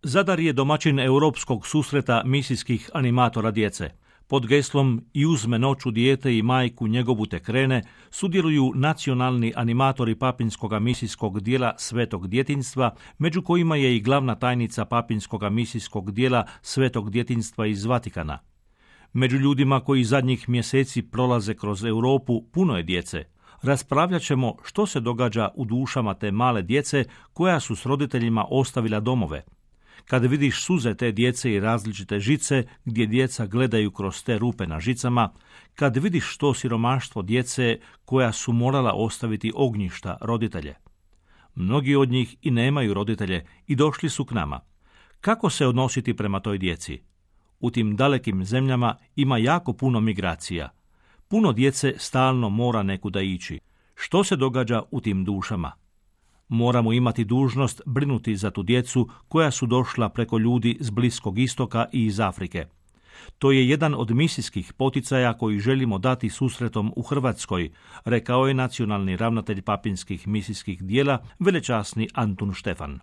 Zadar je domaćin europskog susreta misijskih animatora djece. Pod geslom "I uzme noću dijete i majku njegovu te krene" sudjeluju nacionalni animatori papinskog misijskog dijela Svetog djetinjstva, među kojima je i glavna tajnica papinskog misijskog dijela Svetog djetinjstva iz Vatikana. Među ljudima koji zadnjih mjeseci prolaze kroz Europu puno je djece. Raspravljat ćemo što se događa u dušama te male djece koja su s roditeljima ostavila domove. Kad vidiš suze te djece i različite žice gdje djeca gledaju kroz te rupe na žicama, kad vidiš što siromaštvo djece koja su morala ostaviti ognjišta roditelje. Mnogi od njih i nemaju roditelje i došli su k nama. Kako se odnositi prema toj djeci? U tim dalekim zemljama ima jako puno migracija. Puno djece stalno mora nekuda ići. Što se događa u tim dušama? Moramo imati dužnost brinuti za tu djecu koja su došla preko ljudi s Bliskog istoka i iz Afrike. To je jedan od misijskih poticaja koji želimo dati susretom u Hrvatskoj, rekao je nacionalni ravnatelj papinskih misijskih dijela, velečasni Antun Štefan.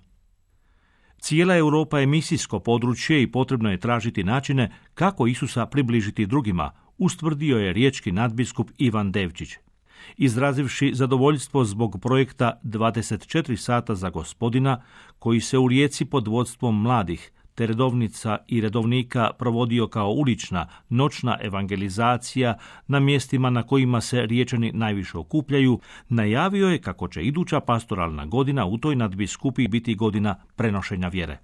Cijela Europa je misijsko područje i potrebno je tražiti načine kako Isusa približiti drugima, ustvrdio je riječki nadbiskup Ivan Devčić. Izrazivši zadovoljstvo zbog projekta 24 sata za Gospodina, koji se u Rijeci pod vodstvom mladih, te redovnica i redovnika provodio kao ulična, noćna evangelizacija na mjestima na kojima se Riječani najviše okupljaju, najavio je kako će iduća pastoralna godina u toj nadbiskupiji biti godina prenošenja vjere.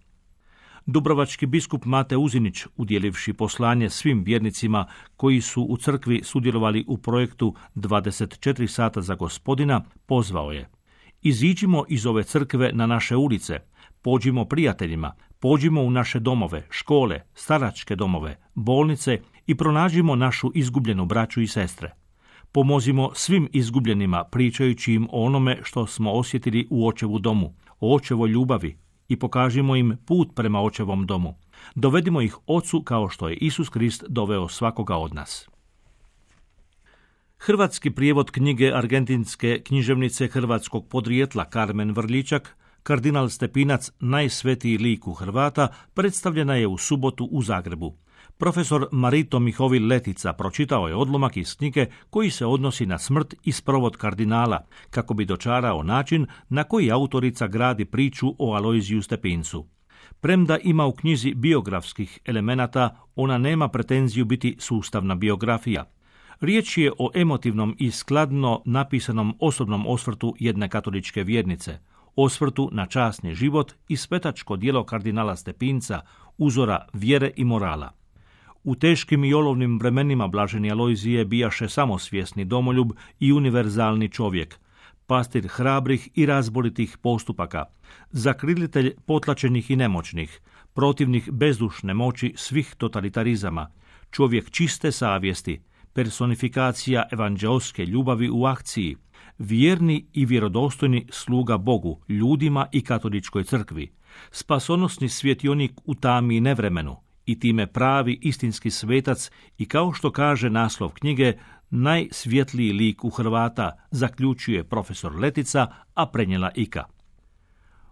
Dubrovački biskup Mate Uzinić, udjelivši poslanje svim vjernicima koji su u crkvi sudjelovali u projektu 24 sata za Gospodina, pozvao je: iziđimo iz ove crkve na naše ulice, pođimo prijateljima, pođimo u naše domove, škole, staračke domove, bolnice i pronađimo našu izgubljenu braću i sestre. Pomozimo svim izgubljenima pričajući im o onome što smo osjetili u Očevu domu, o Očevoj ljubavi, i pokažimo im put prema Očevom domu. Dovedimo ih Ocu kao što je Isus Krist doveo svakoga od nas. Hrvatski prijevod knjige argentinske književnice hrvatskog podrijetla Karmen Vrličak, Kardinal Stepinac, najsvetiji lik u Hrvata, predstavljena je u subotu u Zagrebu. Profesor Marito Mihovil Letica pročitao je odlomak iz knjige koji se odnosi na smrt i sprovod kardinala, kako bi dočarao način na koji autorica gradi priču o Alojziju Stepincu. Premda ima u knjizi biografskih elemenata, ona nema pretenziju biti sustavna biografija. Riječ je o emotivnom i skladno napisanom osobnom osvrtu jedne katoličke vjernice, osvrtu na časni život i svetačko djelo kardinala Stepinca, uzora vjere i morala. U teškim i olovnim vremenima blaženi Alojzije bijaše samosvjesni domoljub i univerzalni čovjek, pastir hrabrih i razboritih postupaka, zakrilitelj potlačenih i nemoćnih, protivnik bezdušne moći svih totalitarizama, čovjek čiste savjesti, personifikacija evanđeoske ljubavi u akciji, vjerni i vjerodostojni sluga Bogu, ljudima i katoličkoj crkvi, spasonosni svjetionik u tami i nevremenu, i time pravi istinski svetac i, kao što kaže naslov knjige, najsvjetliji lik u Hrvata, zaključuje profesor Letica, a prenijela Ika.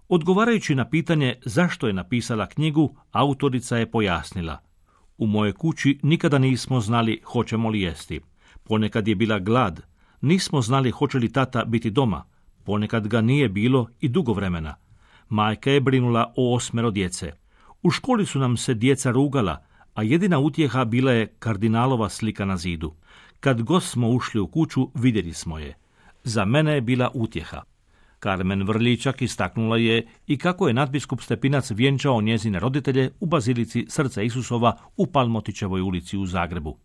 Odgovarajući na pitanje zašto je napisala knjigu, autorica je pojasnila: u mojoj kući nikada nismo znali hoćemo li jesti. Ponekad je bila glad, nismo znali hoće li tata biti doma, ponekad ga nije bilo i dugo vremena. Majka je brinula o 8 djece. U školi su nam se djeca rugala, a jedina utjeha bila je kardinalova slika na zidu. Kad god smo ušli u kuću, vidjeli smo je. Za mene je bila utjeha. Karmen Vrličak istaknula je i kako je nadbiskup Stepinac vjenčao njezine roditelje u bazilici Srca Isusova u Palmotićevoj ulici u Zagrebu.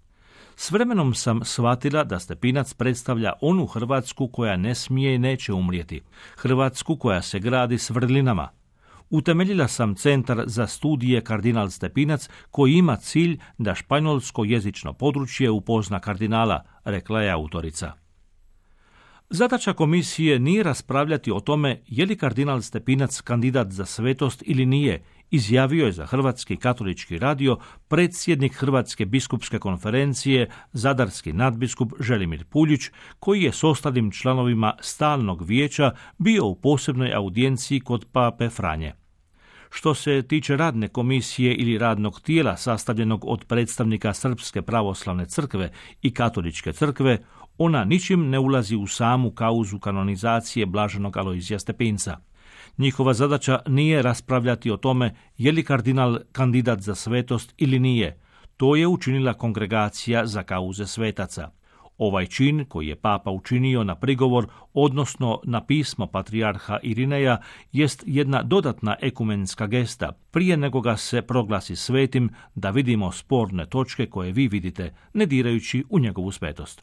S vremenom sam shvatila da Stepinac predstavlja onu Hrvatsku koja ne smije i neće umrijeti, Hrvatsku koja se gradi s vrlinama. Utemeljila sam Centar za studije Kardinal Stepinac koji ima cilj da španjolsko jezično područje upozna kardinala, rekla je autorica. Zadaća komisije nije raspravljati o tome je li kardinal Stepinac kandidat za svetost ili nije, izjavio je za Hrvatski katolički radio predsjednik Hrvatske biskupske konferencije, zadarski nadbiskup Želimir Puljić, koji je s ostalim članovima stalnog vijeća bio u posebnoj audijenciji kod pape Franje. Što se tiče radne komisije ili radnog tijela sastavljenog od predstavnika Srpske pravoslavne crkve i Katoličke crkve, ona ničim ne ulazi u samu kauzu kanonizacije blaženog Alojzija Stepinca. Njihova zadaća nije raspravljati o tome je li kardinal kandidat za svetost ili nije. To je učinila Kongregacija za kauze svetaca. Ovaj čin, koji je papa učinio na prigovor, odnosno na pismo patrijarha Irineja, jest jedna dodatna ekumenska gesta, prije nego ga se proglasi svetim, da vidimo sporne točke koje vi vidite, ne dirajući u njegovu svetost.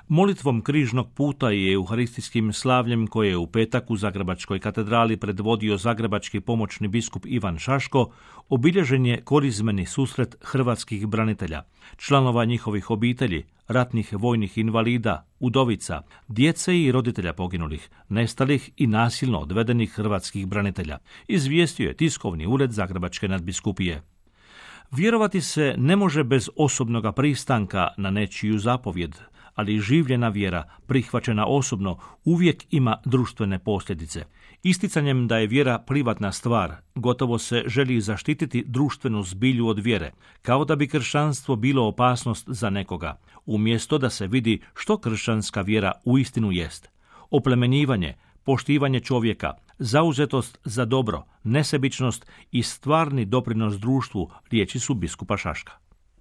Molitvom križnog puta i euharistijskim slavljem koje je u petak u Zagrebačkoj katedrali predvodio zagrebački pomoćni biskup Ivan Šaško, obilježen je korizmeni susret hrvatskih branitelja, članova njihovih obitelji, ratnih vojnih invalida, udovica, djece i roditelja poginulih, nestalih i nasilno odvedenih hrvatskih branitelja, izvijestio je tiskovni ured Zagrebačke nadbiskupije. Vjerovati se ne može bez osobnoga pristanka na nečiju zapovjed, ali življena vjera, prihvaćena osobno, uvijek ima društvene posljedice. Isticanjem da je vjera privatna stvar, gotovo se želi zaštititi društvenu zbilju od vjere, kao da bi kršćanstvo bilo opasnost za nekoga, umjesto da se vidi što kršćanska vjera uistinu jest. Oplemenjivanje, poštivanje čovjeka, zauzetost za dobro, nesebičnost i stvarni doprinos društvu, riječi su biskupa Šaška.